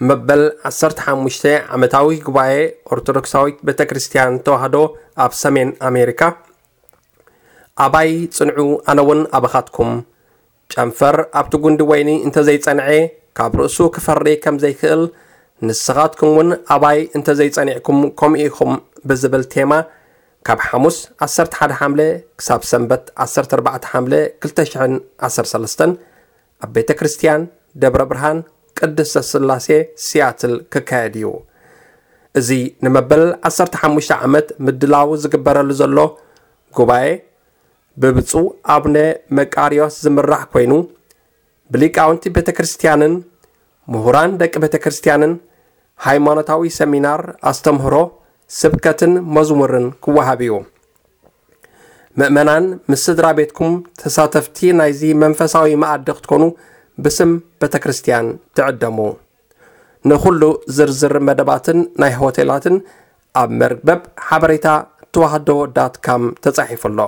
መበል ዓሰርተ ሓሙሽተ ዓመታዊ ጉባኤ ኦርቶዶክሳዊት ቤተ ክርስቲያን ተዋህዶ ኣብ ሰሜን ኣሜሪካ። ኣባይ ጽንዑ፣ ኣነ እውን ኣባኻትኩም። ጨንፈር ኣብቲ ጉንዲ ወይኒ እንተዘይጸንዐ፣ ካብ ርእሱ ክፈሪ ከም ዘይክእል፣ ንስኻትኩም እውን ኣባይ እንተዘይጸኒዕኩም ከምኡ ኢኹም ብዝብል ቴማ፣ ካብ ሓሙስ ዓሰርተ ሓደ ሓምለ ክሳብ ሰንበት ዓሰርተ ኣርባዕተ ሓምለ ክልተ ሽሕን ዓሰርተ ሰለስተን ኣብ ቤተ ክርስቲያን ደብረ ብርሃን ቅድስተ ስላሴ ሲያትል ክካየድ እዩ። እዚ ንመበል ዓሰርተ ሓሙሽተ ዓመት ምድላው ዝግበረሉ ዘሎ ጉባኤ ብብፁዕ ኣቡነ መቃርዮስ ዝምራሕ ኮይኑ፣ ብሊቃውንቲ ቤተ ክርስቲያንን ምሁራን ደቂ ቤተ ክርስቲያንን ሃይማኖታዊ ሰሚናር፣ ኣስተምህሮ፣ ስብከትን መዝሙርን ክወሃብ እዩ። ምእመናን ምስ ስድራ ቤትኩም ተሳተፍቲ ናይዚ መንፈሳዊ መኣዲ ክትኮኑ ብስም ቤተ ክርስቲያን ትዕደሙ። ንኹሉ ዝርዝር መደባትን ናይ ሆቴላትን ኣብ መርበብ ሓበሬታ ተዋህዶ ዳት ካም ተጻሒፉ ኣሎ።